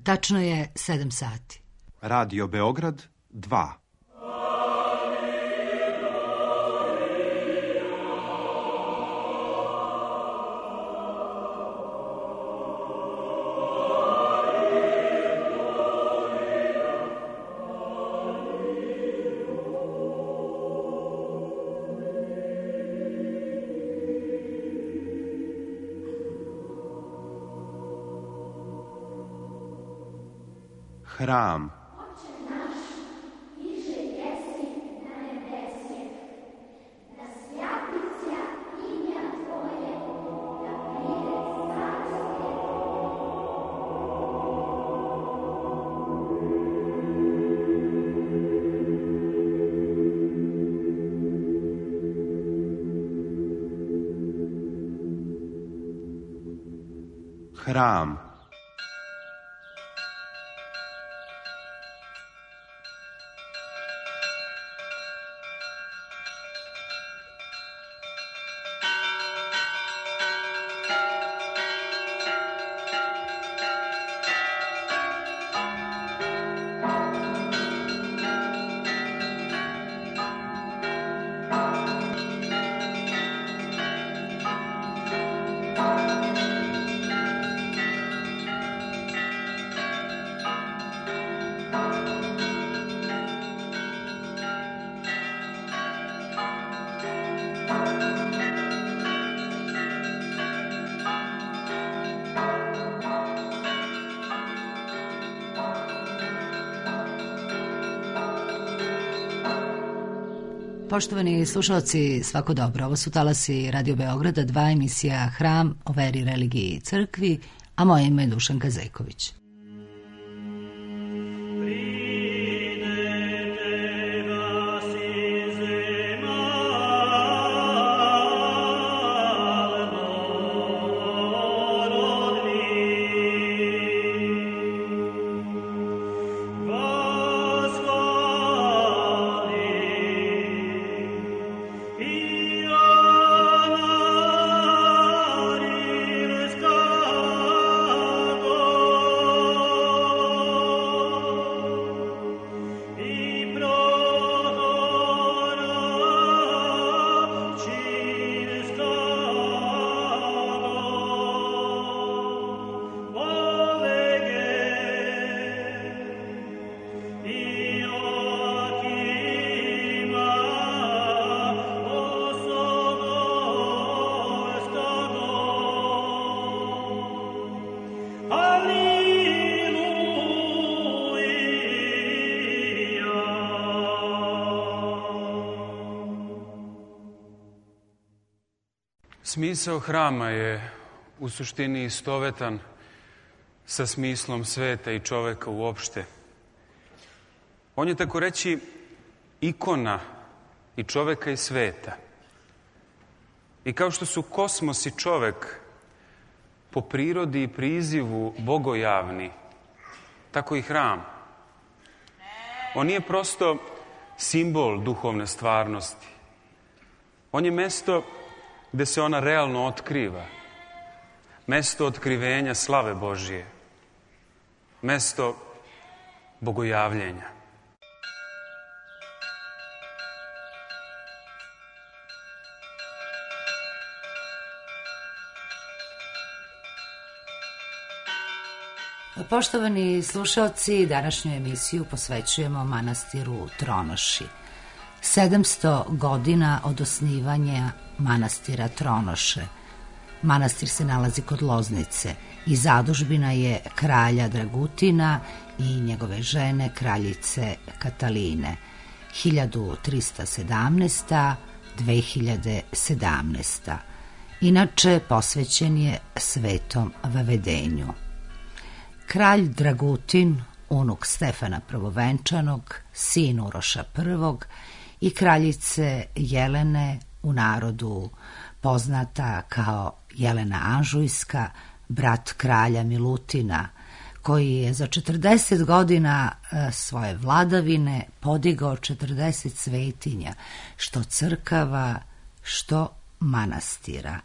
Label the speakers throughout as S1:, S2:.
S1: Tačno je 7 sati.
S2: Radio Beograd 2. Hram. Hram.
S1: Poštovani slušalci, svako dobro. Ovo su talasi Radio Beograda 2, emisija Hram o veri, religiji i crkvi, a moje ime je Dušanka Zejković.
S3: Smisao hrama je u suštini istovetan sa smislom sveta i čoveka uopšte. On je, tako reći, ikona i čoveka i sveta. I kao što su kosmos i čovek po prirodi i prizivu bogojavni, tako i hram. On nije prosto simbol duhovne stvarnosti. On je mesto gde se ona realno otkriva. Mesto otkrivenja slave Božije. Mesto bogojavljenja.
S1: Poštovani slušalci, današnju emisiju posvećujemo manastiru Tronoši. 700 godina od osnivanja manastira Tronoše. Manastir se nalazi kod Loznice i zadužbina je kralja Dragutina i njegove žene, kraljice Kataline. 1317. 2017. Inače, posvećen je Svetom Vavedenju. Kralj Dragutin, unuk Stefana Prvovenčanog, sin Uroša I, i kraljice Jelene, u narodu poznata kao Jelena Anžujska, brat kralja Milutina, koji je za 40 godina svoje vladavine podigao 40 svetinja, što crkava, što manastira.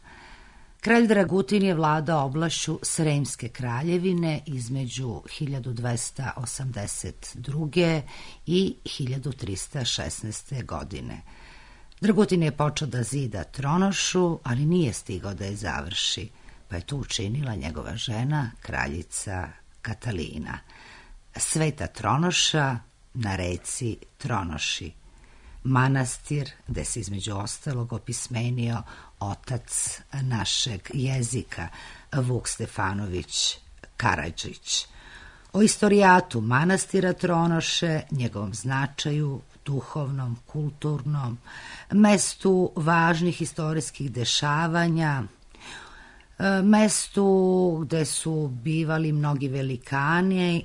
S1: Kralj Dragutin je vladao oblašću Sremske kraljevine između 1282. i 1316. godine. Dragutin je počeo da zida Tronošu, ali nije stigao da je završi, pa je tu učinila njegova žena, kraljica Katalina. Sveta Tronoša na reci Tronoši, manastir gde se između ostalog opismenio otac našeg jezika, Vuk Stefanović Karadžić. O istorijatu manastira Tronoše, njegovom značaju, duhovnom, kulturnom, mestu važnih istorijskih dešavanja, mestu gde su bivali mnogi velikani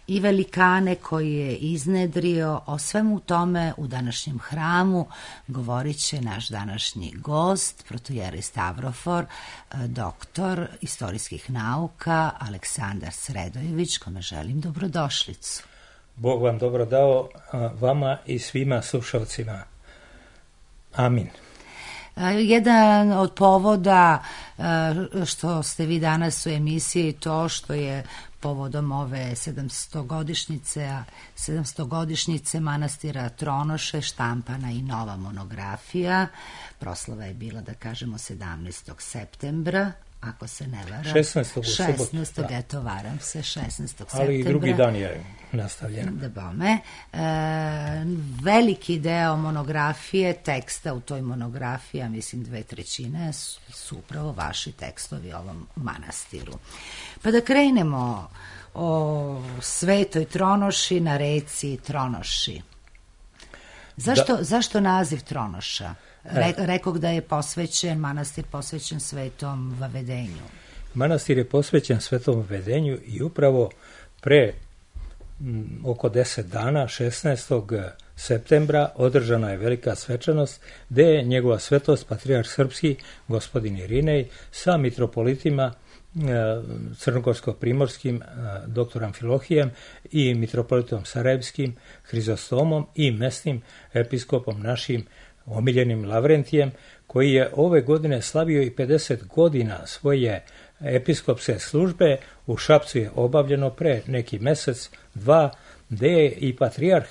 S1: i velikane koji je iznedrio. O svemu tome u današnjem hramu govorit će naš današnji gost, protojerej Stavrofor, doktor istorijskih nauka Aleksandar Sredojević, kome želim dobrodošlicu.
S4: Bog vam dobro dao, vama i svima slušalcima. Amin.
S1: Jedan od povoda što ste vi danas u emisiji to što je povodom ove 700-godišnjice manastira Tronoše štampana i nova monografija. Proslava je bila, da kažemo, 17. septembra, ako se ne varam.
S4: 16.
S1: Eto, varam se, 16. septembra.
S4: Ali i drugi dan je nastavljen.
S1: Da bome. Veliki deo monografije, teksta u toj monografiji, mislim 2/3 su upravo vaši tekstovi o ovom manastiru. Pa da krenemo o Svetoj Tronoši na reci Tronoši. Zašto naziv Tronoša? Rekog da je manastir posvećen Svetom Vavedenju.
S4: Manastir je posvećen Svetom Vavedenju i upravo pre oko 10 dana, 16. septembra, održana je velika svečanost gde je njegova svetost, patrijarh srpski, gospodin Irinej, sa mitropolitima crnogorsko-primorskim dr. Amfilohijem i mitropolitom Sarajevskim Hrizostomom i mesnim episkopom našim omiljenim Lavrentijem, koji je ove godine slavio i 50 godina svoje episkopske službe. U Šapcu je obavljeno pre neki mesec, dva, gde je i patrijarh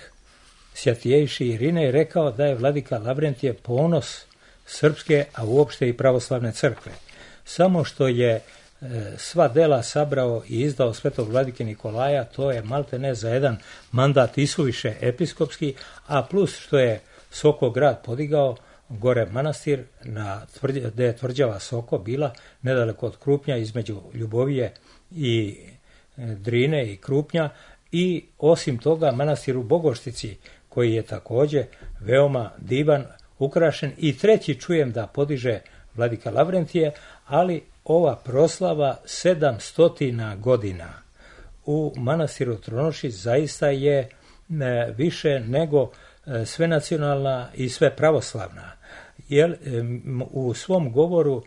S4: Svjatijejši Irinej rekao da je vladika Lavrentije ponos srpske, a uopšte i pravoslavne crkve. Samo što je sva dela sabrao i izdao svetog vladike Nikolaja, to je maltene za jedan mandat isuviše episkopski, a plus što je Soko grad podigao gore manastir gde je tvrđava Soko bila nedaleko od Krupnja, između Ljubovije i Drine i Krupnja, i osim toga manastir u Bogoštici koji je takođe veoma divan, ukrašen, i treći čujem da podiže vladika Lavrentije, ali ova proslava 700 godina u manastiru Tronoši zaista je više nego sve nacionalna i sve pravoslavna. Jer u svom govoru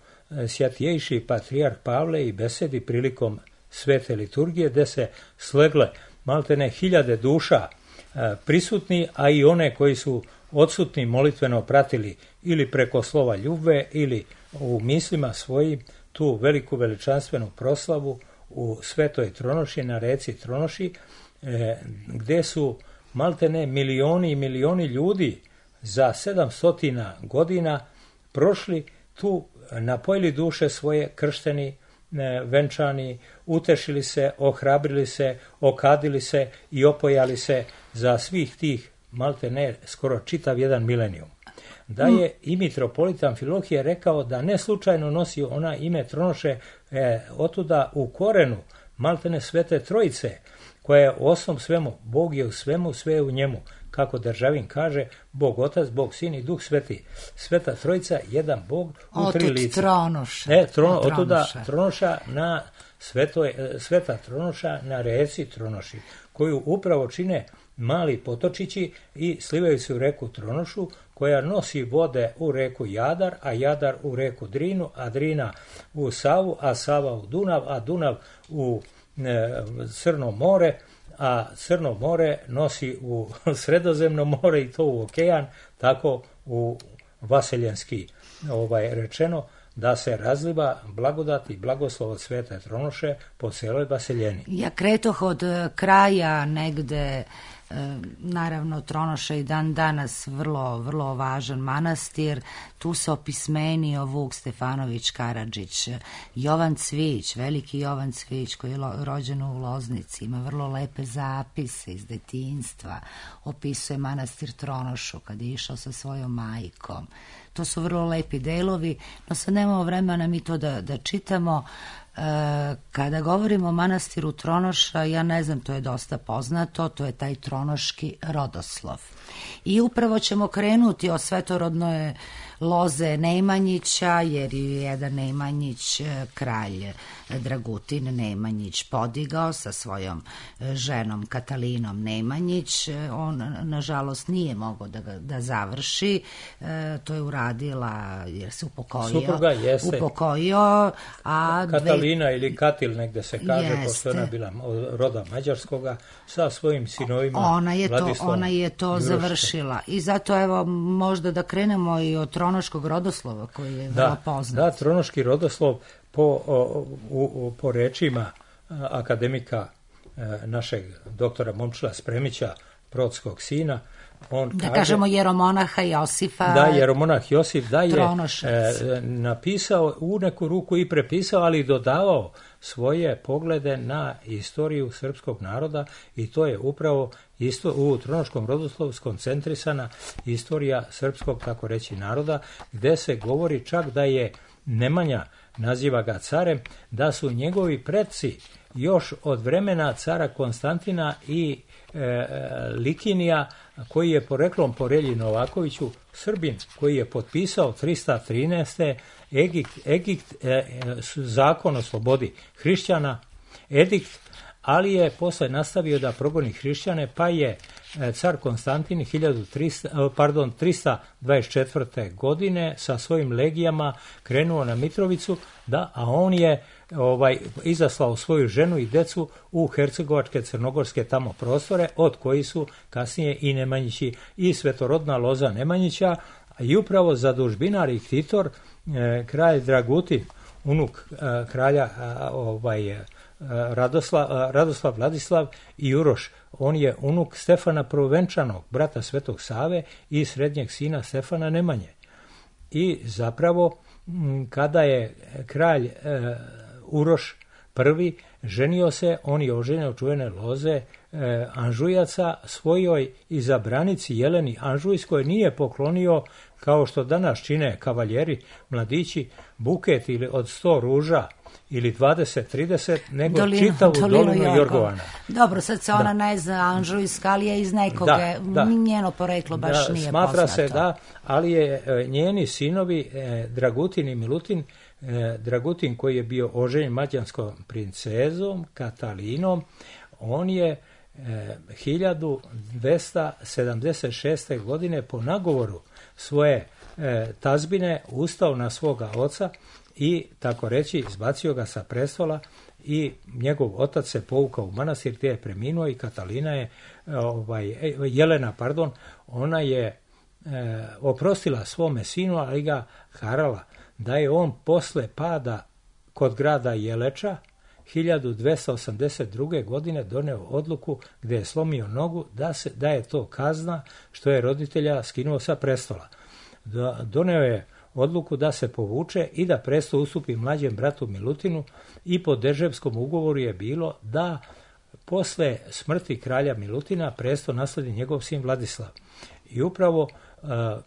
S4: Svjatijejši patrijarh Pavle i besedi prilikom svete liturgije, gde se slegle maltene 1000 duša prisutni, a i one koji su odsutni molitveno pratili ili preko slova ljubve ili u mislima svojim tu veliku veličanstvenu proslavu u Svetoj Tronoši na reci Tronoši, gde su maltene milioni i milioni ljudi za 700 godina prošli tu, napojili duše svoje, kršteni, venčani, utešili se, ohrabrili se, okadili se i opojali se za svih tih maltene skoro čitav jedan milenijum. Da je i mitropolit Amfilohije rekao da ne slučajno nosi ona ime Tronoše, otuda u korenu maltene Svete Trojice, koja je u osnovu svemu, Bog je u svemu, sve je u njemu. Kako Državin kaže, Bog Otac, Bog Sin i Duh Sveti. Sveta Trojica, jedan Bog u tri lica. Otuda Tronoša na Sveta Tronoša na reci Tronoši, koju upravo čine mali potočići i slivaju se u reku Tronošu, koja nosi vode u reku Jadar, a Jadar u reku Drinu, a Drina u Savu, a Sava u Dunav, a Dunav u Crno more, a Crno more nosi u Sredozemno more i to u okean, tako u vaseljenski rečeno, da se razliva blagodat i blagoslov od Svete Tronoše po celoj Vaseljeni.
S1: Ja kretoh od kraja negde, naravno Tronoša i dan danas vrlo, vrlo važan manastir, tu se opismenio Vuk Stefanović Karadžić, Jovan Cvić, veliki Jovan Cvić koji je rođen u Loznici, ima vrlo lepe zapise iz detinjstva, opisuje manastir Tronošu kad je išao sa svojom majkom. To su vrlo lepi delovi, no sad nemamo vremena mi to da čitamo. Kada govorimo o manastiru Tronoša, ja ne znam, to je dosta poznato, to je taj tronoški rodoslov. I upravo ćemo krenuti o svetorodnoj loze Nemanjića, jer je jedan Nemanjić, kralj Dragutin Nemanjić, podigao sa svojom ženom Katalinom Nemanjić. On, nažalost, nije mogao da završi, to je uradila, jer se upokojio.
S4: Supruga jeste.
S1: Upokojio, a
S4: Katalina ili Katil negde se kaže,
S1: jeste.
S4: pošto ona bila roda mađarskoga, sa svojim sinovima.
S1: Ona je to završila. I zato, evo, možda da krenemo i od tronoškog rodoslova koji je vrlo poznat.
S4: Da, tronoški rodoslov po rečima akademika našeg doktora Momčila Spremića, protskog sina, on
S1: da
S4: kaže,
S1: kažemo jeromonaha Josifa.
S4: Da, jeromonah Josif da je
S1: Tronošac.
S4: Napisao u neku ruku i prepisao, ali i dodavao svoje poglede na istoriju srpskog naroda, i to je upravo u tronoškom rodoslovu skoncentrisana istorija srpskog, tako reći, naroda, gde se govori čak da je Nemanja, naziva ga carem, da su njegovi preci još od vremena cara Konstantina i Likinija, koji je poreklom po Relji Novakoviću Srbin, koji je potpisao 313. Edikt, zakon o slobodi hrišćana, edikt, ali je posle nastavio da progoni hrišćane, pa je car Konstantin 324. godine sa svojim legijama krenuo na Mitrovicu, a on je izaslao svoju ženu i decu u hercegovačke, crnogorske tamo prostore, od koji su kasnije i Nemanjići i svetorodna loza Nemanjića, i upravo zadužbinar i ktitor kralj Dragutin, unuk kralja Radoslav Vladislav i Uroš. On je unuk Stefana Prvenčanog, brata Svetog Save i srednjeg sina Stefana Nemanje. I zapravo kada je kralj Uroš prvi ženio se, on je oženio čuvene loze Anžujaca svojoj izabranici Jeleni Anžujskoj, nije poklonio, kao što danas čine kavaljeri, mladići, buket ili od 100 ruža ili 20-30, nego čitavu dolinu Jorgovana.
S1: Dobro, sad se ona ne zna Anžujska, ali je iz nekoga, njeno poreklo baš nije
S4: smatra
S1: poznato.
S4: Se da, ali je njeni sinovi Dragutin i Milutin, Dragutin koji je bio oženjen mađarskom princezom Katalinom, on je 1276. godine po nagovoru svoje tazbine ustao na svoga oca i, tako reći, izbacio ga sa prestola, i njegov otac se povukao u manastir gdje je preminuo, i Katalina je, Jelena, ona je oprostila svome sinu, ali ga harala da je on posle pada kod grada Jeleča 1282. godine doneo odluku gdje je slomio nogu, da je to kazna što je roditelja skinuo sa prestola. Doneo je odluku da se povuče i da presto ustupi mlađem bratu Milutinu, i po Deževskom ugovoru je bilo da posle smrti kralja Milutina presto nasledi njegov sin Vladislav. I upravo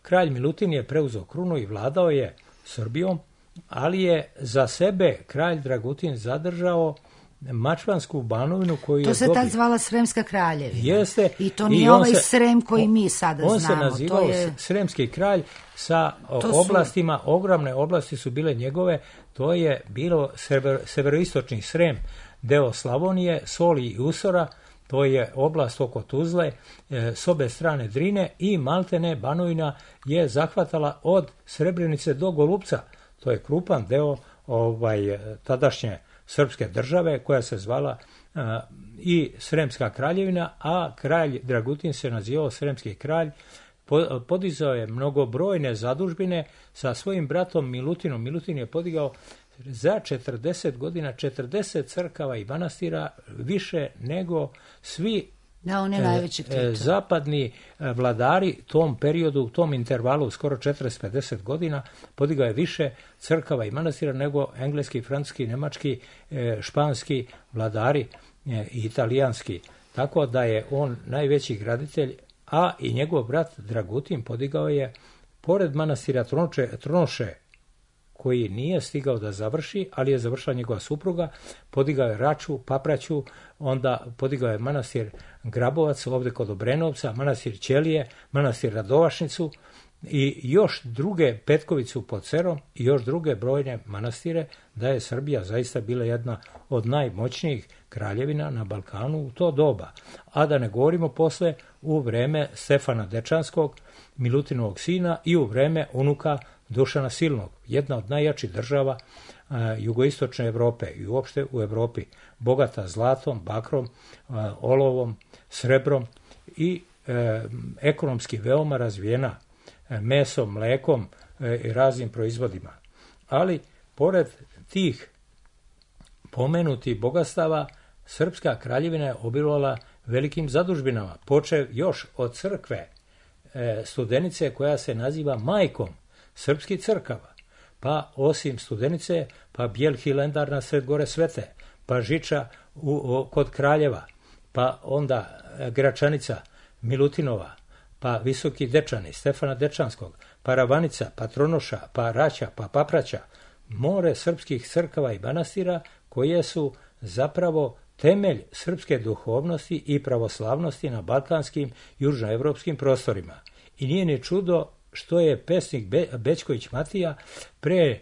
S4: kralj Milutin je preuzeo krunu i vladao je Srbijom, ali je za sebe kralj Dragutin zadržao Mačvansku banovinu koju je dobio.
S1: To se tad zvala Sremska kraljevina.
S4: Jeste.
S1: I to nije ovaj Srem koji mi sada znamo.
S4: On se nazivao Sremski kralj sa oblastima, ogromne oblasti su bile njegove, to je bilo severoistočni Srem, deo Slavonije, Soli i Usora, to je oblast oko Tuzle, s obe strane Drine, i maltene banovina je zahvatala od Srebrenice do Golupca. To je krupan deo tadašnje srpske države koja se zvala i Sremska kraljevina, a kralj Dragutin se nazivao Sremski kralj, podizao je mnogobrojne zadužbine sa svojim bratom Milutinom. Milutin je podigao za 40 godina 40 crkava i manastira, više nego svi zapadni vladari tom periodu, u tom intervalu skoro 40-50 godina, podigao je više crkava i manastira nego engleski, francuski, nemački, španski vladari i italijanski. Tako da je on najveći graditelj, a i njegov brat Dragutin podigao je, pored manastira Tronoše, koji nije stigao da završi, ali je završila njegova supruga, podigao je Raču, Papraću, onda podigao je manastir Grabovac ovdje kod Obrenovca, manastir Ćelije, manastir Radovašnicu i još druge, Petkovicu pod Cerom i još druge brojne manastire, da je Srbija zaista bila jedna od najmoćnijih kraljevina na Balkanu u to doba. A da ne govorimo posle u vreme Stefana Dečanskog, Milutinovog sina, i u vreme unuka Dušana Silnog, jedna od najjačih država jugoistočne Evrope i uopšte u Evropi, bogata zlatom, bakrom, olovom, srebrom i ekonomski veoma razvijena mesom, mlekom i raznim proizvodima. Ali, pored tih pomenutih bogatstava, Srpska kraljevina je obilovala velikim zadužbinama, počev još od crkve Studenice, koja se naziva majkom srpskih crkava, pa osim Studenice, pa Bijel Hilendar na sred gore Svete, pa Žiča kod Kraljeva, pa onda Gračanica Milutinova, pa Visoki Dečani Stefana Dečanskog, pa Ravanica, pa Tronoša, pa Raća, pa Papraća, more srpskih crkava i manastira koje su zapravo temelj srpske duhovnosti i pravoslavnosti na balkanskim južnoevropskim prostorima. I nije ni čudo što je pesnik Bećković Matija pre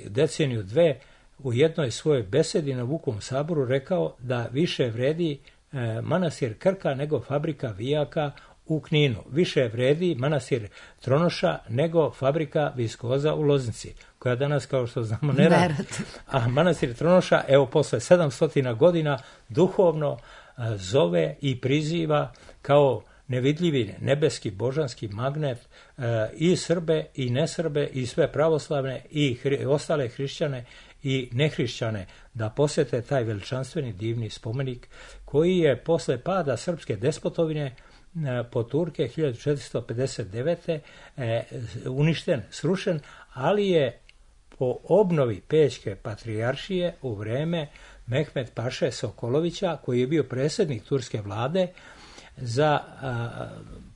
S4: deceniju dve u jednoj svojoj besedi na Vukom saboru rekao da više vredi manastir Krka nego fabrika vijaka u Kninu. Više vredi manastir Tronoša nego fabrika viskoza u Loznici, koja danas, kao što znamo, ne radi. A manastir Tronoša, evo, posle 700 godina duhovno zove i priziva kao nevidljivi nebeski božanski magnet i Srbe i nesrbe i sve pravoslavne i ostale hrišćane i nehrišćane da posete taj veličanstveni divni spomenik koji je posle pada srpske despotovine po Turke 1459. Uništen, srušen, ali je po obnovi Pećke patrijaršije u vreme Mehmet Paše Sokolovića, koji je bio predsjednik turske vlade, za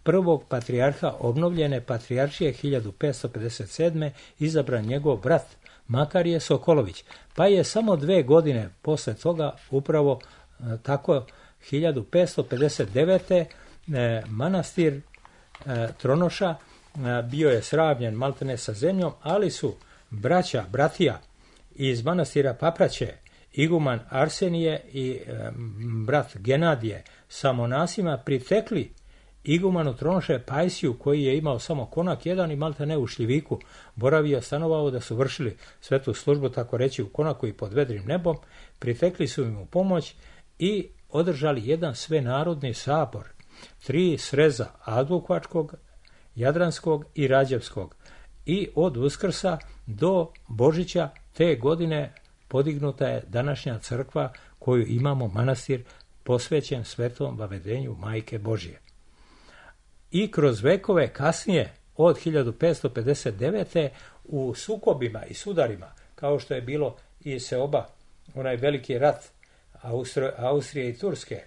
S4: prvog patrijarha obnovljene patrijaršije 1557. izabran njegov brat Makarije Sokolović. Pa je samo 2 godine posle toga, upravo tako 1559. manastir Tronoša bio je sravnjen maltene sa zemljom, ali su bratija iz manastira Papraće, iguman Arsenije i brat Genadije sa monasima pritekli igumanu Tronoše Pajsiju, koji je imao samo konak jedan i maltene u šljiviku boravio, stanovao, da su vršili svetu službu, tako reći, u konaku i pod vedrim nebom. Pritekli su im u pomoć i održali jedan svenarodni sabor, 3 sreza Advokvačkog, Jadranskog i Rađevskog. I od Uskrsa do Božića te godine podignuta je današnja crkva koju imamo, manastir posvećen svetom vavedenju Majke Božje. I kroz vekove kasnije, od 1559. u sukobima i sudarima, kao što je bilo i Seoba, onaj veliki rat Austrije i Turske,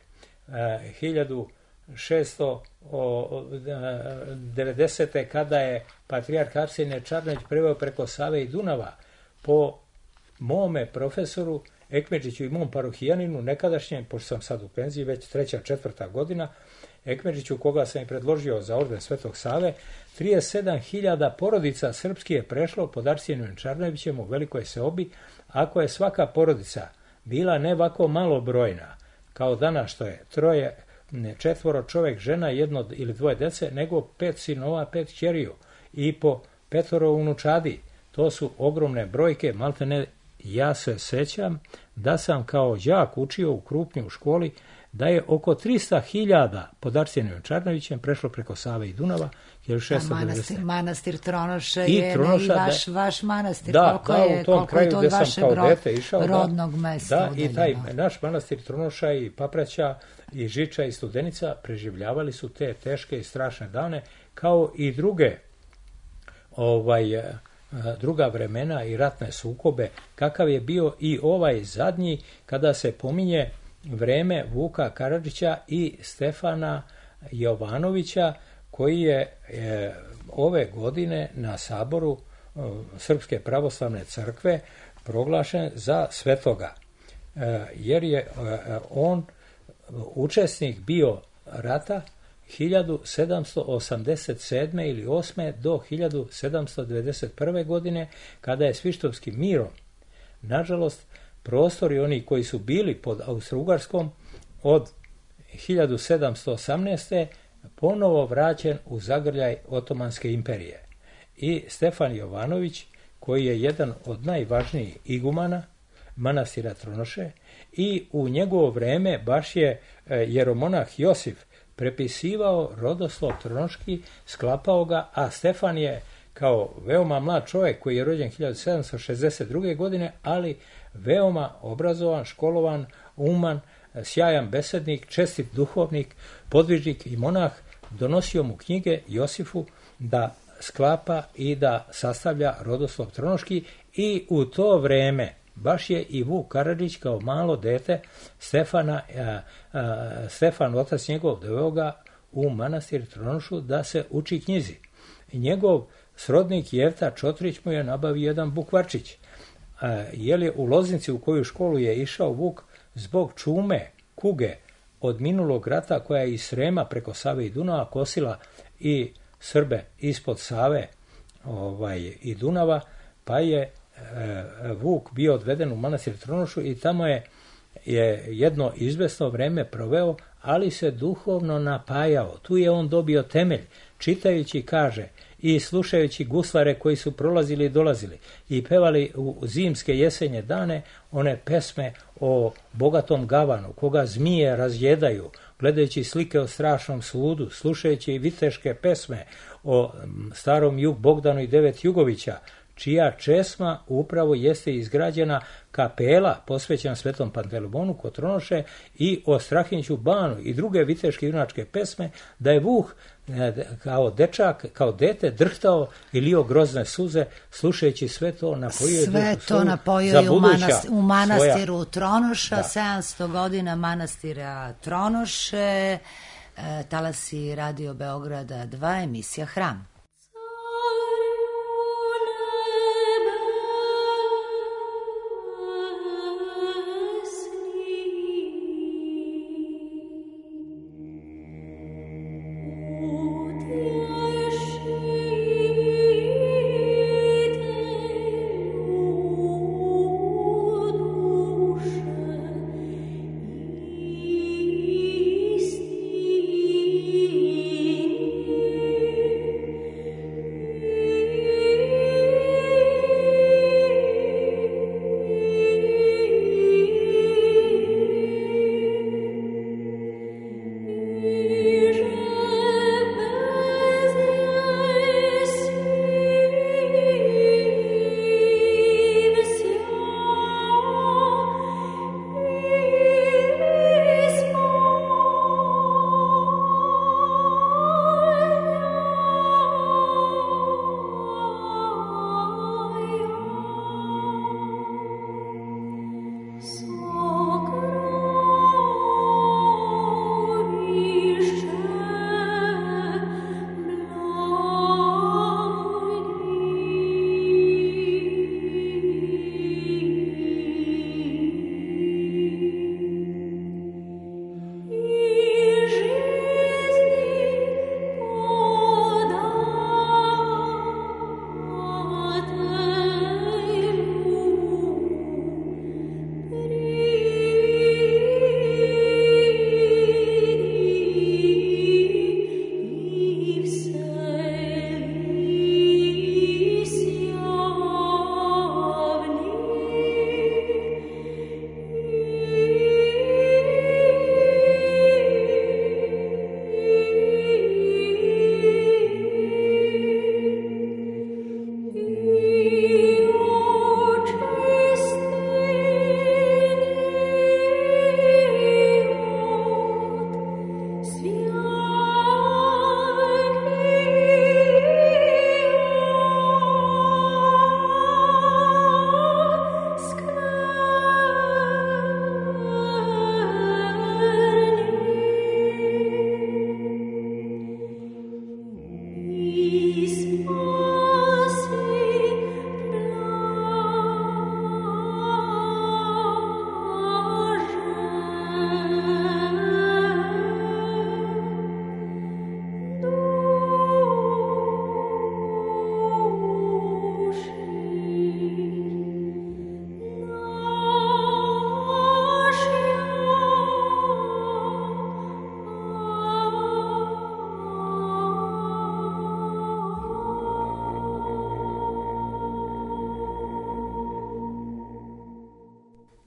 S4: 1690. kada je patrijarh Arsenije Čarnović preveo preko Save i Dunava, po mome profesoru Ekmedžiću i mom parohijaninu nekadašnjem, pošto sam sad u penziji, već 3. 4. godina, Ekmedžiću, koga sam i predložio za orden Svetog Save, 37.000 porodica srpski je prešlo pod Arsenijem Čarnovićem u Velikoj Seobi, ako je svaka porodica bila ne ovako malobrojna, kao danas što je 3, 4 čovjek, žena, 1 ili 2 dece, nego 5 sinova, 5 kćeriju i po 5 unučadi. To su ogromne brojke, maltene ja se sećam da sam kao đak učio u Krupnju u školi da je oko 300.000 pod Arsenijom Čarnovićem prešlo preko Save i Dunava 1690.
S1: Manastir Tronoše je vaš manastir.
S4: Koliko je to od vašeg
S1: rodnog mesta.
S4: Da, i taj naš manastir Tronoša i Papraća i Žiča i Studenica preživljavali su te teške i strašne dane, kao i druga vremena i ratne sukobe, kakav je bio i ovaj zadnji, kada se pominje vreme Vuka Karadžića i Stefana Jovanovića, koji je ove godine na saboru Srpske pravoslavne crkve proglašen za svetoga, jer je on učesnik bio rata 1787. ili 8. do 1791. godine, kada je Svištovskim mirom, nažalost, prostori oni koji su bili pod Austro-Ugarskom od 1718. ponovo vraćen u zagrljaj Otomanske imperije. I Stefan Jovanović, koji je jedan od najvažnijih igumana manastira Tronoše, i u njegovo vreme baš je jeromonah Josif prepisivao rodoslov Tronoški, sklapao ga, a Stefan je kao veoma mlad čovjek koji je rođen 1762. godine, ali veoma obrazovan, školovan, uman, sjajan besednik, čestit duhovnik, podvižnik i monah, donosio mu knjige Josifu da sklapa i da sastavlja rodoslov Tronoški, i u to vreme baš je i Vuk Karadžić kao malo dete Stefan, otac njegov, doveo ga u manastir Tronošu da se uči knjizi. Njegov srodnik Jevta Čotrić mu je nabavio jedan bukvarčić. Jer je u Loznici, u koju školu je išao Vuk, zbog čume, kuge od minulog rata, koja je iz Srema preko Save i Dunava kosila i Srbe ispod Save i Dunava, pa je Vuk bio odveden u manastir Tronošu i tamo je jedno izvesno vreme proveo, ali se duhovno napajao. Tu je on dobio temelj, čitajući, kaže, i slušajući guslare koji su prolazili i dolazili i pevali u zimske jesenje dane one pesme o bogatom gavanu, koga zmije razjedaju, gledajući slike o strašnom sudu, slušajući viteške pesme o starom Jug Bogdanu i 9 Jugovića, čija česma upravo jeste izgrađena kapela posvećena Svetom Pantelejmonu kod Tronoše, i o Strahinjiću Banu i druge viteške junačke pesme, da je Vuh kao dečak, kao dete drhtao i lio grozne suze slušajući sve to, napojio je
S1: u manastiru Tronoša, 700 godina manastira Tronoše, talasi Radio Beograda 2, emisija Hram.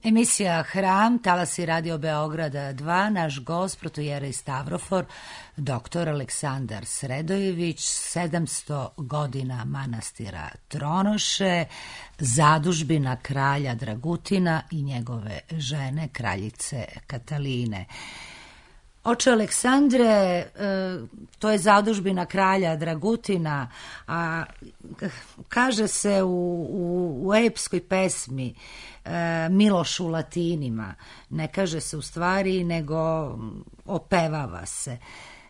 S1: Emisija Hram, talasi Radio Beograda 2, naš gost, protojerej Stavrofor, dr. Aleksandar Sredojević, 700 godina manastira Tronoše, zadužbina kralja Dragutina i njegove žene, kraljice Kataline. Oče Aleksandre, to je zadužbina kralja Dragutina, a kaže se u epskoj pesmi Miloš u latinima, ne kaže se u stvari, nego opevava se.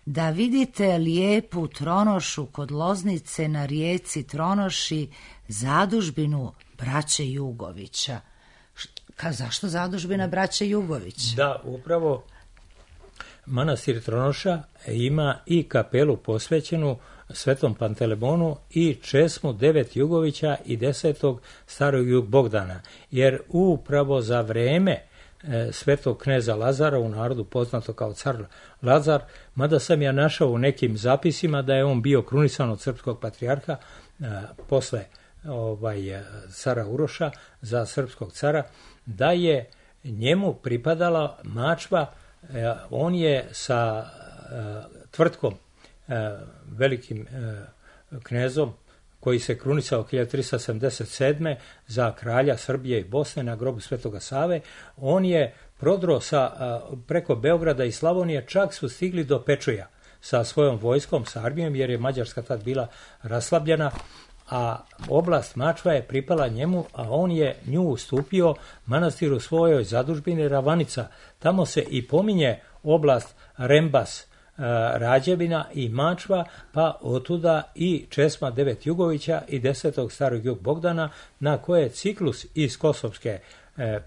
S1: Da vidite lijepu Tronošu kod Loznice na rijeci Tronoši, zadužbinu braće Jugovića. Zašto zadužbina braće Jugović?
S4: Da, upravo manastir Tronoša ima i kapelu posvećenu Svetom Pantelemonu i česmu 9 Jugovića i 10. starog Jug Bogdana, jer upravo za vreme svetog kneza Lazara, u narodu poznato kao car Lazar, mada sam ja našao u nekim zapisima da je on bio krunisan od srpskog patrijarha posle cara Uroša za srpskog cara, da je njemu pripadala mačva. On je sa tvrtkom, velikim knezom, koji se krunisao 1377. za kralja Srbije i Bosne na grobu Svetoga Save, on je prodro preko Beograda i Slavonije, čak su stigli do Pečuja sa svojom vojskom, sa armijom, jer je Mađarska tad bila raslabljena, a oblast Mačva je pripala njemu, a on je nju ustupio manastiru svojoj zadužbini Ravanica. Tamo se i pominje oblast Rembas, Rađevina i Mačva, pa otuda i česma 9 Jugovića i 10. starog Jug Bogdana, na koje ciklus iz kosovske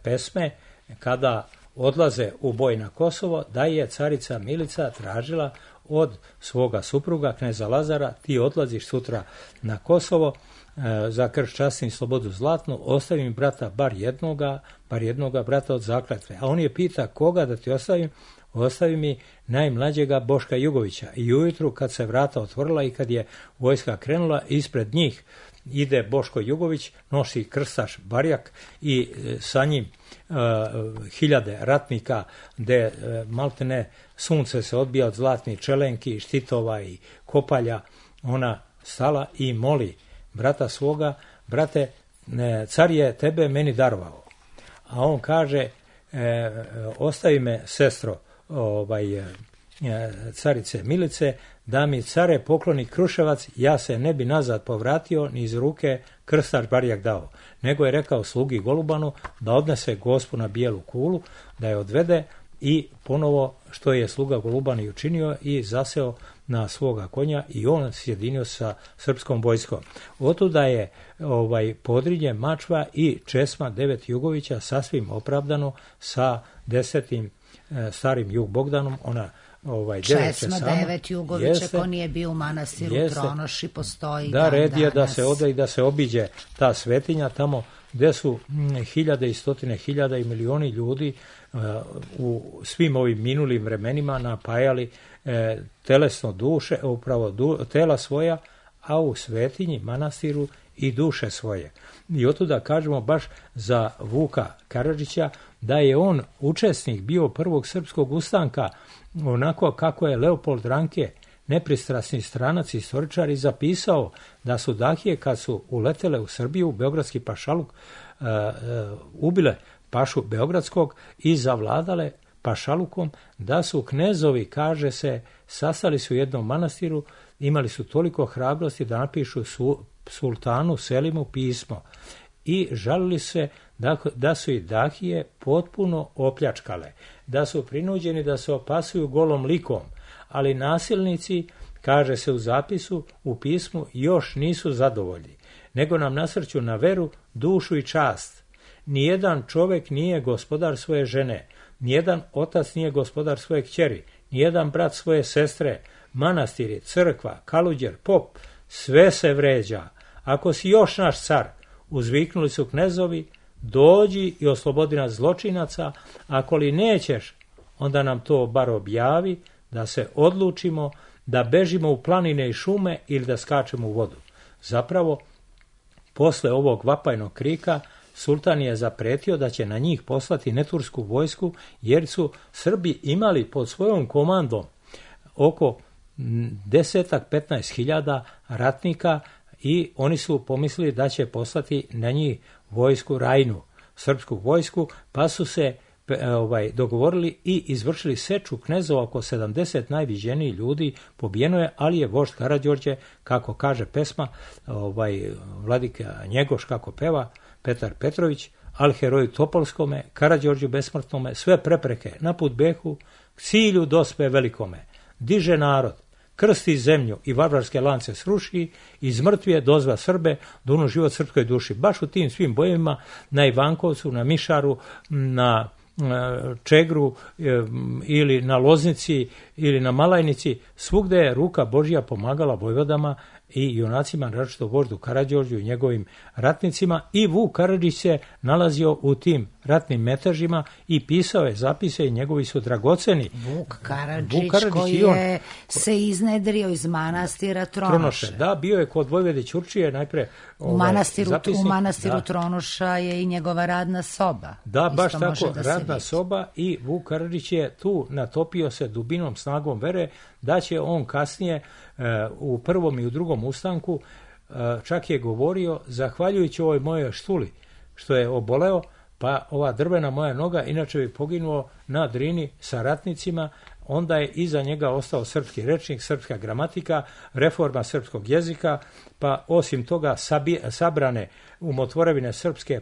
S4: pesme, kada odlaze u boj na Kosovo, da je carica Milica tražila od svoga supruga, kneza Lazara: ti odlaziš sutra na Kosovo za krš časti i slobodu zlatnu, ostavi mi brata bar jednoga brata od zakletve. A on je pita: koga da ti ostavim? Ostavi mi najmlađega Boška Jugovića. I ujutru kad se vrata otvorila i kad je vojska krenula, ispred njih ide Boško Jugović, nosi krstaš barjak i sa njim hiljade ratnika, gde maltene sunce se odbija od zlatnih čelenki, štitova i kopalja. Ona stala i moli brata svoga: brate, car je tebe meni darovao. A on kaže: ostavi me, sestro carice Milice, da mi care pokloni Kruševac, ja se ne bi nazad povratio ni iz ruke krstaš barjak dao, nego je rekao slugi Golubanu da odnese gospu na bijelu kulu, da je odvede, i ponovo što je sluga Goluban i učinio, i zaseo na svoga konja i on sjedinio sa srpskom vojskom. Otuda je Podrinje, Mačva i česma 9 Jugovića sasvim opravdano sa 10. starim Jug Bogdanom. Ona
S1: česma 9 Jugovića, ko nije bio u manastiru Tronoši, postoji
S4: da red je da se ode i da se obiđe ta svetinja tamo gde su hiljade i stotine hiljada i milioni ljudi u svim ovim minulim vremenima napajali telesno duše, upravo tela svoja, a u svetinji, manastiru, i duše svoje. I otuda kažemo baš za Vuka Karadžića da je on učesnik bio prvog srpskog ustanka, onako kako je Leopold Ranke, nepristrasni stranac i istoričar, zapisao da su Dahije, kad su uletele u Srbiju, beogradski pašaluk, ubile pašu beogradskog i zavladale pašalukom, da su knezovi, kaže se, sastali su u jednom manastiru, imali su toliko hrabrosti da napišu sultanu Selimu pismo i žalili se da su i Dahije potpuno opljačkale, da su prinuđeni da se opasuju golom likom, ali nasilnici, kaže se u zapisu, u pismu, još nisu zadovoljni, nego nam nasrću na veru, dušu i čast. Nijedan čovek nije gospodar svoje žene, nijedan otac nije gospodar svoje kćeri, nijedan brat svoje sestre, manastiri, crkva, kaluđer, pop, sve se vređa. Ako si još naš car, uzviknuli su knezovi, dođi i oslobodi nas zločinaca, ako li nećeš, onda nam to bar objavi, da se odlučimo da bežimo u planine i šume ili da skačemo u vodu. Zapravo, posle ovog vapajnog krika, sultan je zapretio da će na njih poslati netursku vojsku, jer su Srbi imali pod svojom komandom oko 10-15 ratnika i oni su pomislili da će poslati na njih vojsku Rajnu, srpsku vojsku, pa su se dogovorili i izvršili seču knezova. Oko 70 najviđenijih ljudi pobijeno je, ali je vožd Karađorđe, kako kaže pesma, vladika Njegoš kako peva, Petar Petrović, al heroju Topolskome, Karađorđu besmrtnome, sve prepreke na put behu, k cilju dospe velikome. Diže narod, krsti zemlju i varvarske lance sruši, iz mrtvije dozva Srbe, dunu život srpskoj duši. Baš u tim svim bojevima na Ivankovcu, na Mišaru, na Čegru ili na Loznici ili na Malajnici, svugde je ruka Božja pomagala vojvodama i junacima, naročito voždu Karađorđu i njegovim ratnicima, i Vuk Karadžić se nalazio u tim ratnim metežima i pisao je zapise i njegovi su dragoceni.
S1: Vuk Karadžić koji je se iznedrio iz manastira Tronoše.
S4: Da, bio je kod Vojvode Ćurčije najpre
S1: u manastiru Tronoša je i njegova radna soba.
S4: Da, baš tako, radna soba, i Vuk Karadžić je tu natopio se dubinom snagom vere da će on kasnije u prvom i u drugom ustanku, čak je govorio, zahvaljujući ovoj mojoj štuli što je oboleo, pa ova drvena moja noga inače bi poginuo na Drini sa ratnicima. Onda je iza njega ostao srpski rečnik, srpska gramatika, reforma srpskog jezika, pa osim toga sabrane umotvorevine srpske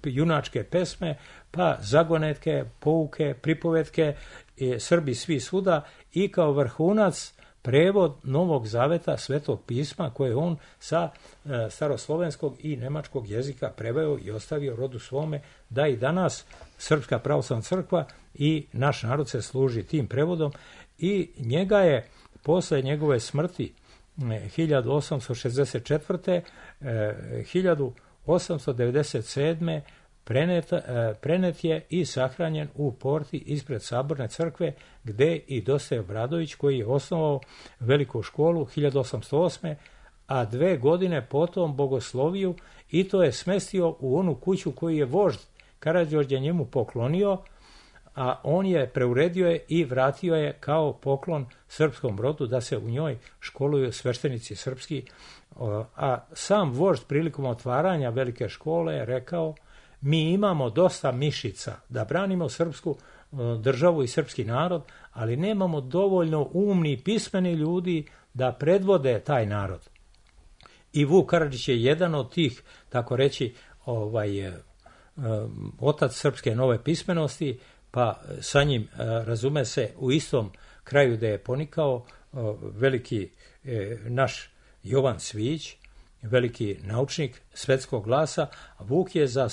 S4: junačke pesme, pa zagonetke, pouke, pripovetke, Srbi svi svuda, i kao vrhunac prevod Novog Zaveta, Svetog pisma, koje on sa staroslovenskog i nemačkog jezika preveo i ostavio rodu svome, da i danas Srpska pravoslavna crkva i naš narod se služi tim prevodom. I njega je posle njegove smrti 1864. 1897. prenet je i sahranjen u porti ispred Saborne crkve, gde i Dositej Obradović, koji je osnovao veliku školu 1808. a 2 godine potom bogosloviju, i to je smestio u onu kuću koju je vožd Karađorđe njemu poklonio, a on je preuredio je i vratio je kao poklon srpskom rodu da se u njoj školuju sveštenici srpski. A sam vožd prilikom otvaranja velike škole je rekao: mi imamo dosta mišica da branimo srpsku državu i srpski narod, ali nemamo dovoljno umni i pismeni ljudi da predvode taj narod. I Vuk Karadžić je jedan od tih, tako reći, otac srpske nove pismenosti, pa sa njim, razume se, u istom kraju da je ponikao veliki naš Jovan Cvijić, veliki naučnik svetskog glasa. Vuk je za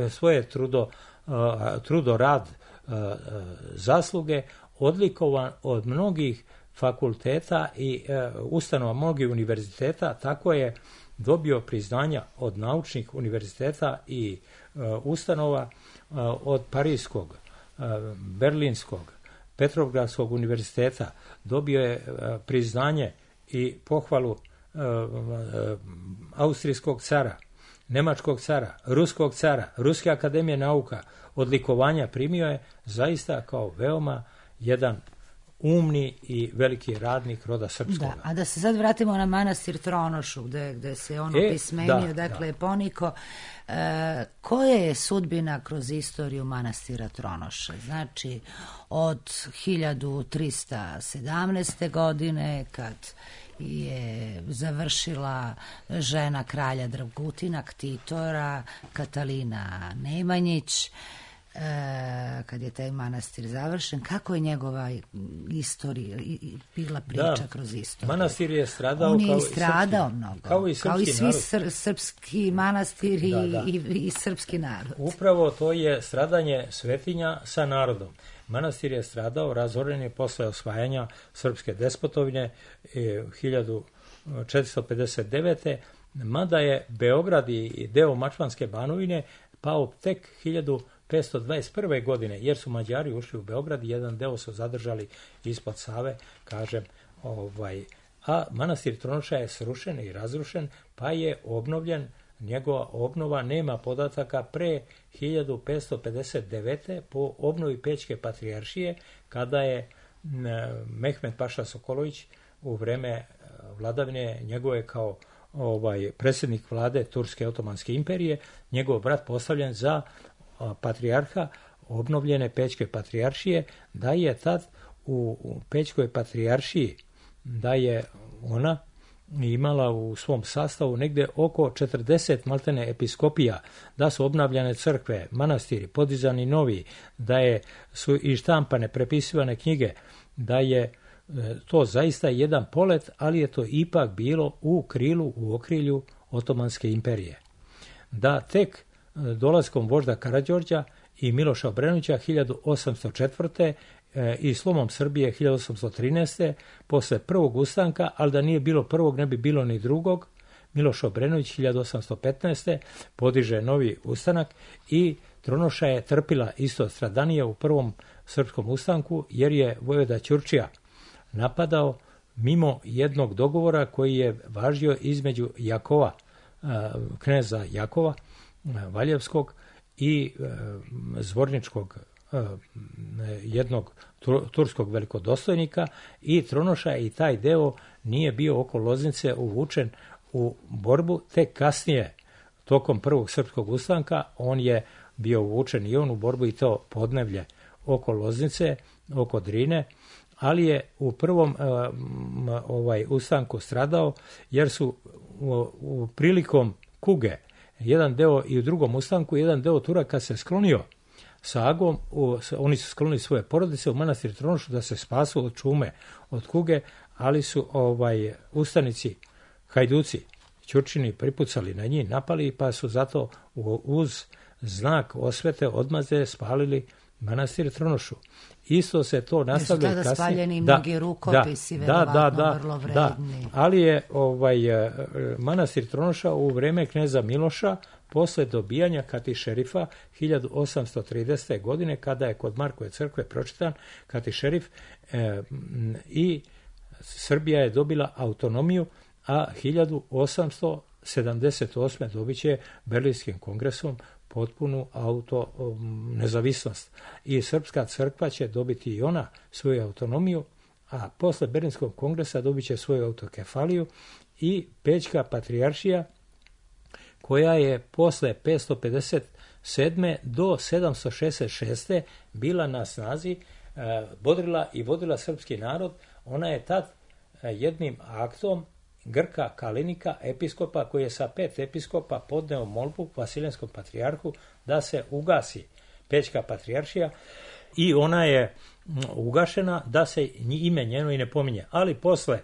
S4: svoje trudorad, zasluge odlikovan od mnogih fakulteta i ustanova, mnogih univerziteta. Tako je dobio priznanja od naučnih univerziteta i ustanova, od Parijskog, Berlinskog, Petrovgradskog univerziteta. Dobio je priznanje i pohvalu austrijskog cara, nemačkog cara, ruskog cara, Ruske akademije nauka. Odlikovanja primio je zaista kao veoma jedan umni i veliki radnik roda srpskog.
S1: Da, a da se sad vratimo na manastir Tronošu, gde se on opismenio, poniko. Koja je sudbina kroz istoriju manastira Tronoše? Znači, od 1317. godine, kad je završila žena kralja Dragutina, ktitora Katalina Nemanjić, kad je taj manastir završen, kako je njegova istorija bila priča kroz istoriju?
S4: Manastir je stradao,
S1: on je istradao mnogo, kao i svi srpski manastiri i srpski narod.
S4: Upravo to je stradanje svetinja sa narodom. Manastir je stradao, razoren je posle osvajanja srpske despotovine 1459. Mada je Beograd i deo Mačvanske banovine pao tek 1521. godine, jer su Mađari ušli u Beograd i jedan deo su zadržali ispod Save, kažem, a manastir Tronoša je srušen i razrušen, pa je obnovljen. Njegova obnova nema podataka pre 1559. po obnovi Pećke patrijaršije, kada je Mehmed Paša Sokolović u vreme vladavine njegove kao predsjednik vlade Turske otomanske imperije, njegov brat postavljen za patrijarha obnovljene Pećke patrijaršije, da je tad u Pećkoj patrijaršiji, da je ona imala u svom sastavu negdje oko 40 maltene episkopija, da su obnavljane crkve, manastiri, podizani novi, da su i štampane, prepisivane knjige, da je to zaista jedan polet, ali je to ipak bilo u okrilju Otomanske imperije. Da tek dolaskom vožda Karađorđa i Miloša Obrenovića 1804. i slomom Srbije 1813. posle prvog ustanka, ali da nije bilo prvog, ne bi bilo ni drugog, Miloš Obrenović 1815. podiže novi ustanak i Tronoša je trpila isto stradanije u prvom srpskom ustanku, jer je vojvoda Ćurčija napadao mimo jednog dogovora koji je važio između Jakova, kneza Jakova Valjevskog i zvorničkog jednog turskog velikodostojnika, i Tronoša i taj deo nije bio oko Loznice uvučen u borbu, tek kasnije tokom prvog srpskog ustanka on je bio uvučen i on u borbu, i to podneblje oko Loznice, oko Drine, ali je u prvom ustanku stradao, jer su prilikom kuge jedan deo, i u drugom ustanku jedan deo Turaka se sklonio sa Agom, oni su sklonili svoje porodice u manastir Tronošu da se spasu od čume, od kuge, ali su ustanici, hajduci, Ćurčini pripucali na njih, napali, pa su zato uz znak osvete odmazde spalili manastir Tronošu. Isto se to nastavlja kasnije.
S1: Tada spaljeni mnogi rukopisi, verovatno vrlo vredni.
S4: Ali je manastir Tronoša u vreme kneza Miloša, posle dobijanja katišerifa 1830. godine, kada je kod Markove crkve pročitan katišerif i Srbija je dobila autonomiju, a 1878. dobit će Berlinskim kongresom potpunu nezavisnost. I Srpska crkva će dobiti i ona svoju autonomiju, a posle Berlinskog kongresa dobit će svoju autokefaliju, i Pećka patrijaršija, koja je posle 557. do 766. bila na snazi, bodrila i vodila srpski narod. Ona je tad jednim aktom Grka Kalinika, episkopa, koji je sa 5 episkopa podneo molbu Vasiljanskom patrijarhu da se ugasi Pećka patrijaršija, i ona je ugašena, da se ime njeno i ne pominje. Ali posle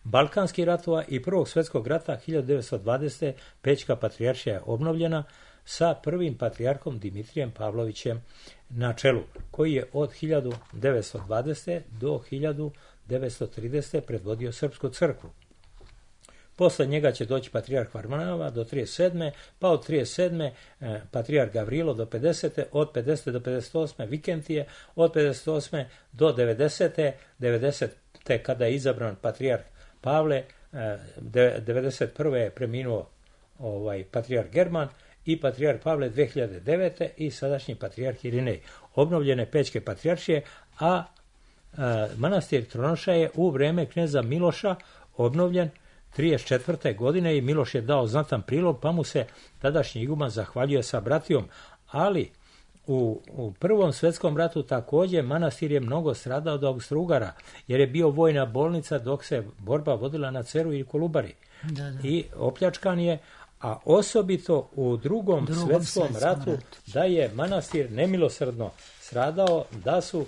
S4: Balkanskih ratova i Prvog svjetskog rata 1920. Pećka patrijaršija je obnovljena sa prvim patrijarhom Dimitrijem Pavlovićem na čelu, koji je od 1920. do 1930. predvodio Srpsku crkvu. Posle njega će doći patrijarh Varnava do 37. pa od 37. patrijarh Gavrilo do 50. od 50. do 58. Vikentije, od 58. do 90. 90. kada je izabran patrijarh Pavle, 91. je preminuo patrijarh German i patrijarh Pavle 2009. i sadašnji patrijarh Irinej. Obnovljene Pećke patrijaršije, a manastir Tronoša je u vreme kneza Miloša obnovljen 34. godine i Miloš je dao znatan prilog, pa mu se tadašnji iguman zahvaljuje sa bratijom. Ali u Prvom svjetskom ratu također manastir je mnogo stradao od Austro-Ugara, jer je bio vojna bolnica dok se borba vodila na Ceru i Kolubari. I opljačkan je, a osobito u Drugom svjetskom ratu da je manastir nemilosrdno stradao, da su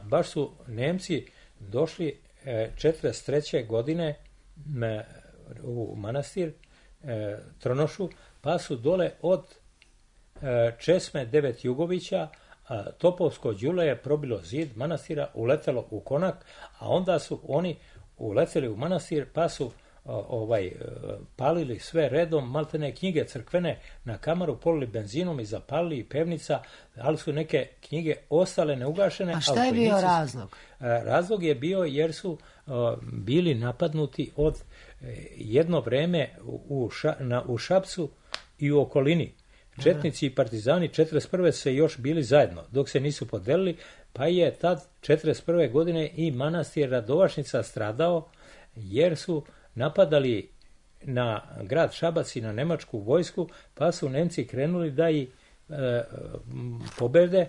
S4: baš su Nemci došli 43. godine u manastir Tronošu, pa su dole od Česme 9 Jugovića Topovsko đule je probilo zid manastira, uletelo u konak, a onda su oni uleteli u manastir, pa su palili sve redom, maltene knjige crkvene na kamaru, polili benzinom i zapalili i pevnica, ali su neke knjige ostale neugašene.
S1: A šta je bio razlog?
S4: Razlog je bio jer su bili napadnuti od jedno vreme u Šapcu i u okolini. Četnici i partizani 1941. se još bili zajedno, dok se nisu podelili, pa je tad 1941. godine i manastir Radovašnica stradao, jer su napadali na grad Šabac i na nemačku vojsku, pa su Nemci krenuli da ih pobede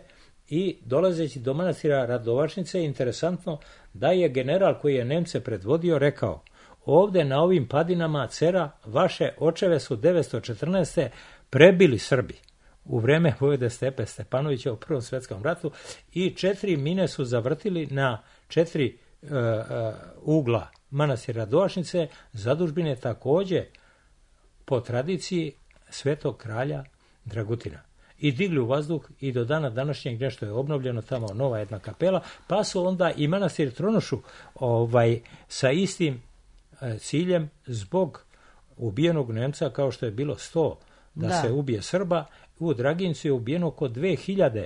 S4: i dolazeći do manastira Radovašnice, interesantno da je general koji je Nemce predvodio rekao: ovde na ovim padinama Cera vaše očeve su 914. prebili Srbi u vreme vojvode Stepe Stepanovića u Prvom svjetskom ratu i 4 mine su zavrtili na 4 ugla manastira Radovašnice, zadužbine također po tradiciji svetog kralja Dragutina. I digli u vazduh i do dana današnjeg nešto je obnovljeno, tamo nova jedna kapela, pa su onda i manastir Tronošu sa istim ciljem zbog ubijenog Nemca, kao što je bilo 100 da se ubije Srba, u Dragincu je ubijeno oko 2000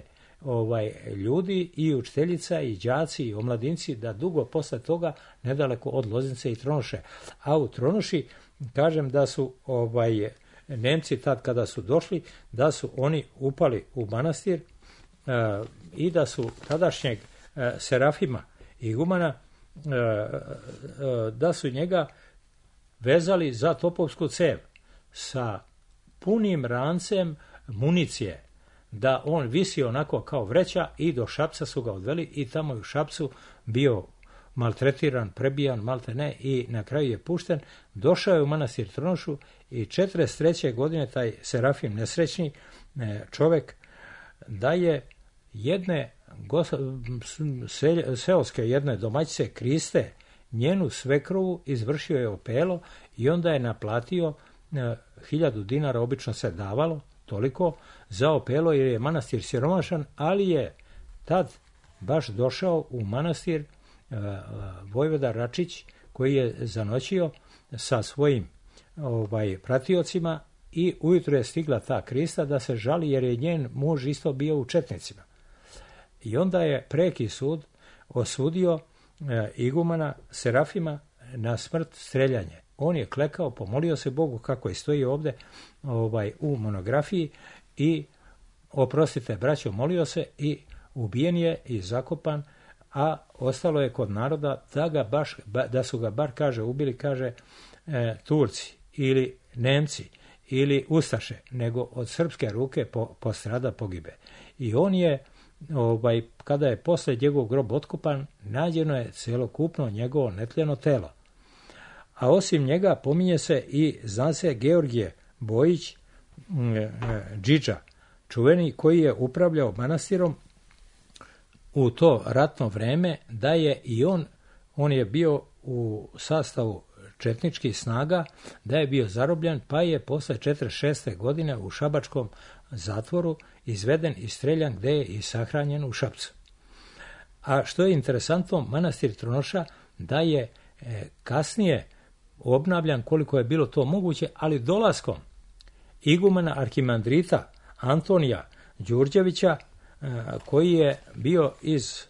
S4: ljudi i učiteljica i đaci i omladinci, da dugo posle toga nedaleko od Loznice i Tronoše. A u Tronoši kažem da su Nemci tad kada su došli, da su oni upali u manastir i da su tadašnjeg Serafima igumana, da su njega vezali za topovsku cev sa punim rancem municije, da on visi onako kao vreća, i do Šapca su ga odveli i tamo je u Šapcu bio maltretiran, prebijan, maltene, i na kraju je pušten. Došao je u manastir Tronošu i 1943. godine taj Serafim nesrećni čovjek da je jedne seoske jedne domaćice Kriste, njenu svekrovu, izvršio je opelo i onda je naplatio 1000 dinara, obično se davalo toliko za opelo jer je manastir siromašan, ali je tad baš došao u manastir vojvoda Račić, koji je zanoćio sa svojim pratiocima, i ujutro je stigla ta Krista da se žali jer je njen muž isto bio u četnicima. I onda je preki sud osudio igumana Serafima na smrt, streljanje. On je klekao, pomolio se Bogu, kako je stoji ovdje u monografiji, i oprostite braćo, molio se i ubijen je i zakopan, a ostalo je kod naroda da su ga bar, kaže, ubili, kaže, Turci ili Nemci ili Ustaše, nego od srpske ruke postrada, pogibe. I on je, kada je posle njegov grob otkopan, nađeno je celokupno njegovo netljeno telo. A osim njega pominje se i, zna se, Georgije Bojić, Džidža, čuveni, koji je upravljao manastirom u to ratno vreme, da je i on je bio u sastavu četničkih snaga, da je bio zarobljen, pa je posle 1946. godine u šabačkom zatvoru izveden i streljan, gde je i sahranjen u Šapcu. A što je interesantno, manastir Tronoša da je kasnije obnavljan koliko je bilo to moguće, ali dolaskom igumana arhimandrita Antonija Đurđevića, koji je bio iz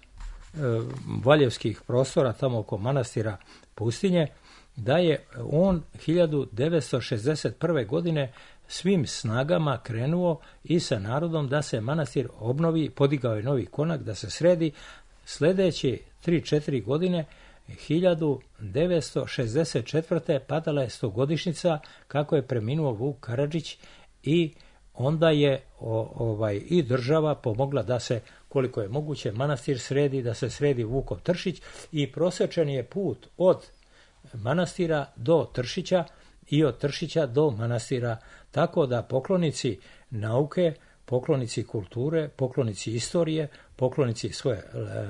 S4: valjevskih prostora tamo oko manastira Pustinje, da je on 1961. godine svim snagama krenuo i sa narodom da se manastir obnovi, podigao je novi konak, da se sredi. Sljedeće 3-4 godine, 1964. padala je 100-godišnjica kako je preminuo Vuk Karadžić, i onda je i država pomogla da se, koliko je moguće, manastir sredi, da se sredi Vukov Tršić, i prosečen je put od manastira do Tršića i od Tršića do manastira, tako da poklonici nauke, poklonici kulture, poklonici istorije, poklonici svoje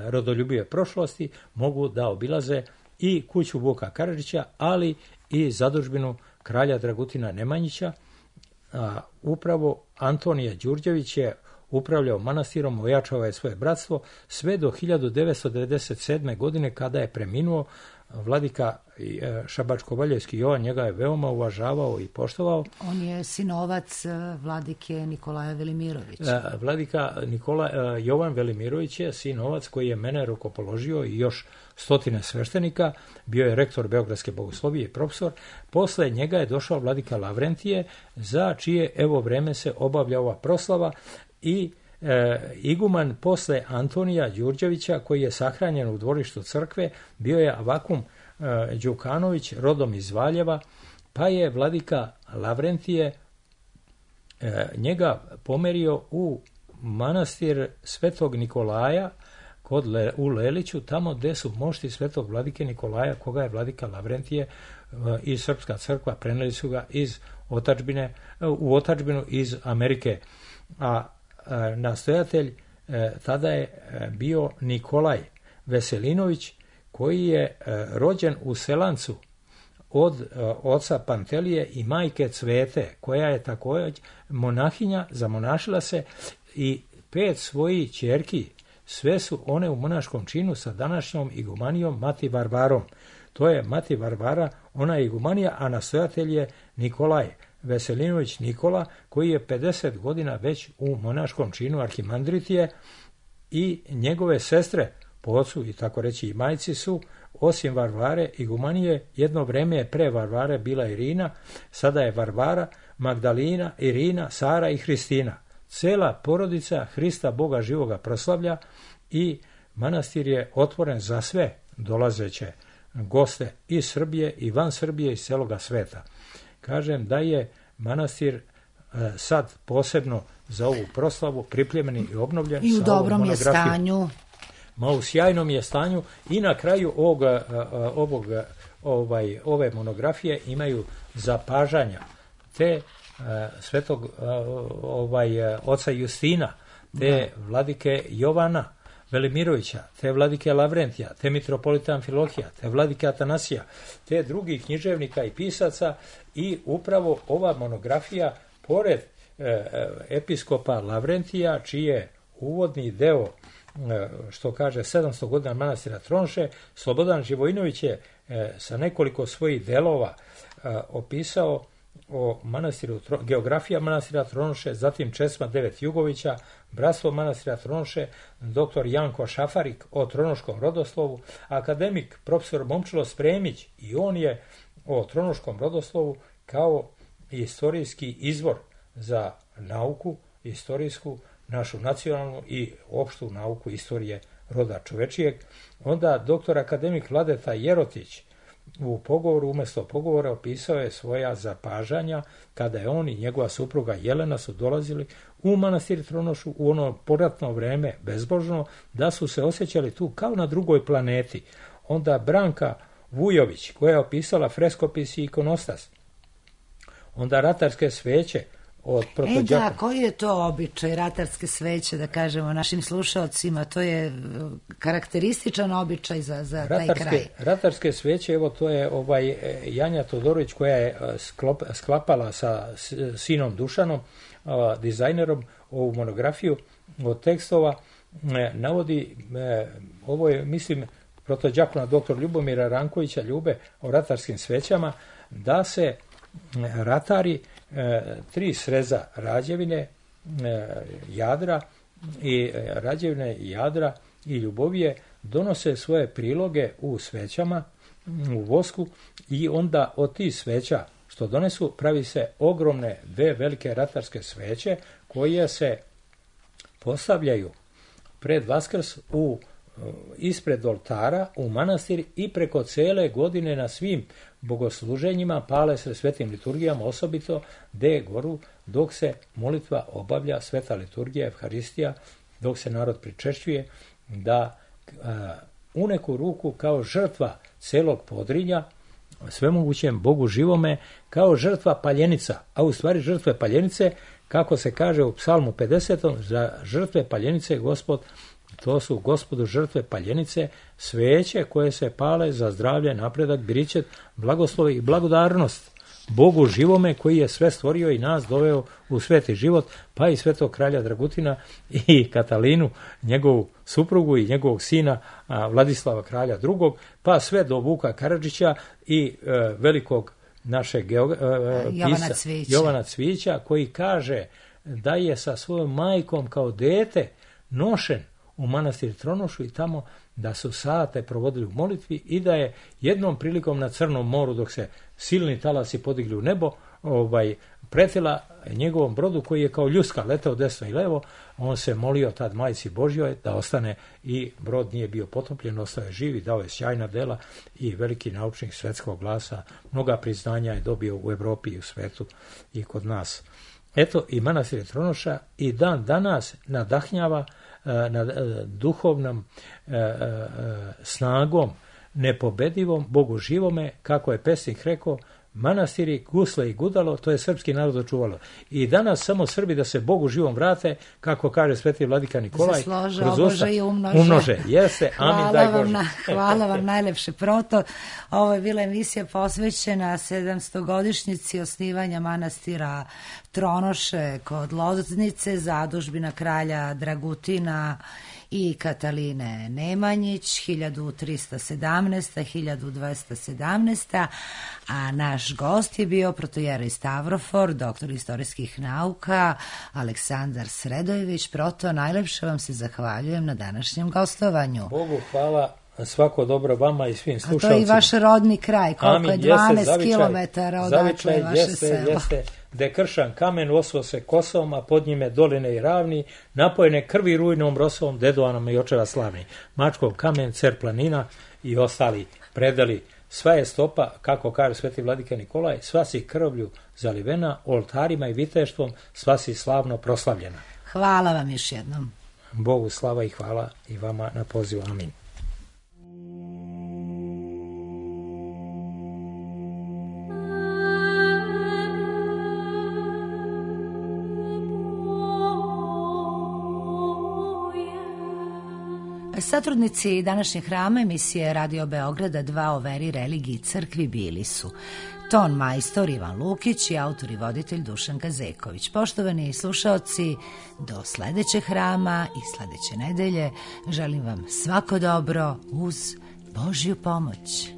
S4: rodoljubive prošlosti mogu da obilaze i kuću Vuka Karadžića, ali i zadužbinu kralja Dragutina Nemanjića. Upravo Antonije Đurđević je upravljao manastirom, ojačao je svoje bratstvo sve do 1997. godine kada je preminuo vladika Šabačko-Valjevski Jovan njega je veoma uvažavao i poštovao.
S1: On je sinovac vladike Nikolaja Velimirovića.
S4: Vladika Jovan Velimirović je sinovac koji je mene rukopoložio i još stotine sveštenika, bio je rektor Beogradske bogoslovije i profesor. Posle njega je došao vladika Lavrentije, za čije evo vreme se obavlja ova proslava, i iguman posle Antonija Đurđevića, koji je sahranjen u dvorištu crkve, bio je Avakum Đukanović, rodom iz Valjeva, pa je vladika Lavrentije njega pomerio u manastir Svetog Nikolaja u Leliću, tamo gde su mošti Svetog vladike Nikolaja, koga je vladika Lavrentije i Srpska crkva preneli su ga u otadžbinu iz Amerike. A nastojatelj tada je bio Nikolaj Veselinović, koji je rođen u Selancu od oca Pantelije i majke Cvete, koja je također monahinja, zamonašila se, i 5 svojih ćerki, sve su one u monaškom činu sa današnjom igumanijom Mati Varvarom. To je Mati Varvara, ona je igumanija, a nastojatelj je Nikolaj Veselinović Nikola, koji je 50 godina već u monaškom činu arhimandritije, i njegove sestre po ocu i tako reći i majci su, osim Varvare igumanije, jedno vreme je pre Varvare bila Irina, sada je Varvara, Magdalina, Irina, Sara i Hristina. Cela porodica Hrista Boga živoga proslavlja i manastir je otvoren za sve dolazeće goste iz Srbije i van Srbije i celoga sveta. Kažem da je manastir sad posebno za ovu proslavu pripremljen i obnovljen.
S1: I u dobrom je stanju.
S4: U sjajnom je stanju, i na kraju ove monografije imaju zapažanja te svetog oca Justina, te vladike Jovana Velimirovića, te vladike Lavrentija, te mitropolita Amfilohija, te vladike Atanasija, te drugih književnika i pisaca. I upravo ova monografija, pored episkopa Lavrentija, čiji je uvodni deo, što kaže 700 godina manastira Tronše, Slobodan Živojinović je sa nekoliko svojih delova opisao o manastiru, geografija manastira Tronše, zatim Česma 9 Jugovića, bratstvo manastira Tronše, dr. Janko Šafarik o tronoškom rodoslovu, akademik profesor Momčilo Spremić, i on je o tronoškom rodoslovu kao istorijski izvor za nauku, istorijsku, našu nacionalnu i opštu nauku istorije roda čovečijeg. Onda dr. akademik Vladeta Jerotić u pogovoru, umjesto pogovora, opisao je svoja zapažanja kada je on i njegova supruga Jelena su dolazili u manastir Tronošu u ono poratno vreme bezbožno, da su se osjećali tu kao na drugoj planeti. Onda Branka Vujović, koja je opisala freskopis i ikonostas. Onda ratarske sveće od
S1: Da, koji je to običaj ratarske sveće, da kažemo našim slušalcima, to je karakterističan običaj za taj kraj.
S4: Ratarske sveće, evo to je Janja Todorović, koja je sklapala sa sinom Dušanom, dizajnerom, ovu monografiju od tekstova, navodi, ovo je, mislim, protođakona dr. Ljubomira Rankovića Ljube o ratarskim svećama, da se ratari 3 sreza Rađevine, Jadra i Rađevine, Jadra i Ljubovije donose svoje priloge u svećama, u vosku, i onda od tih sveća što donesu pravi se ogromne 2 velike ratarske sveće koje se postavljaju pred Vaskrs ispred oltara u manastir i preko cele godine na svim bogosluženjima pale se svetim liturgijama, osobito gde goru dok se molitva obavlja, sveta liturgija, evharistija, dok se narod pričešćuje, da u neku ruku kao žrtva celog Podrinja svemogućem Bogu živome, kao žrtva paljenica, a u stvari žrtve paljenice, kako se kaže u Psalmu 50. za žrtve paljenice Gospod, to su Gospodu žrtve paljenice, sveće koje se pale za zdravlje, napredak, biričet, blagoslov i blagodarnost Bogu živome koji je sve stvorio i nas doveo u sveti život, pa i svetog kralja Dragutina i Katalinu, njegovu suprugu i njegovog sina Vladislava kralja II, pa sve do Vuka Karadžića i velikog našeg Jovana Cvijića, koji kaže da je sa svojom majkom kao dete nošen u manastir Tronošu i tamo da su sate provodili u molitvi i da je jednom prilikom na Crnom moru, dok se silni talasi podigli u nebo, pretila njegovom brodu koji je kao ljuska letao desno i levo. On se molio tad majci Božjoj da ostane i brod nije bio potopljen, ostao je živ i dao je sjajna dela i veliki naučnik svetskog glasa. Mnoga priznanja je dobio u Evropi i u svetu i kod nas. Eto, i manastir Tronoša i dan danas nadahnjava na duhovnom snagom nepobedivom, Bogu živome, kako je pesnik rekao, manastiri, gusle i gudalo, to je srpski narod očuvalo. I danas samo Srbi da se Bogu živom vrate, kako kaže sveti vladika Nikolaj,
S1: kroz usta
S4: umnože. Jeste, amin, daj Bože.
S1: Hvala vam najlepše proto. Ovo je bila emisija posvećena 700-godišnjici osnivanja manastira Tronoše kod Loznice, zadužbina kralja Dragutina i Kataline Nemanjić, 1317-1217, a naš gost je bio protojerej Stavrofor, doktor istorijskih nauka, Aleksandar Sredojević. Proto, najlepše vam se zahvaljujem na današnjem gostovanju.
S4: Bogu hvala, svako dobro vama i svim slušalcima.
S1: A to je i vaš rodni kraj, koliko je 12 kilometara odatle je vaše selo.
S4: Jeste, gde kršan kamen osvo se kosom, a pod njime doline i ravni, napojene krvi rujnom rosom, dedovanom i očeva slavni. Mačkov kamen, cer planina i ostali predali. Sva je stopa, kako kaže sveti vladika Nikolaj, sva si krvlju zalivena, oltarima i viteštvom, sva si slavno proslavljena.
S1: Hvala vam još jednom.
S4: Bogu slava i hvala i vama na pozivu. Amin.
S1: Satrudnici današnjeg hrama emisije Radio Beograda 2 o veri, religiji i crkvi bili su ton majstor Ivan Lukić i autor i voditelj Dušan Gazeković. Poštovani slušaoci, do sledećeg hrama i sledeće nedelje želim vam svako dobro uz Božju pomoć.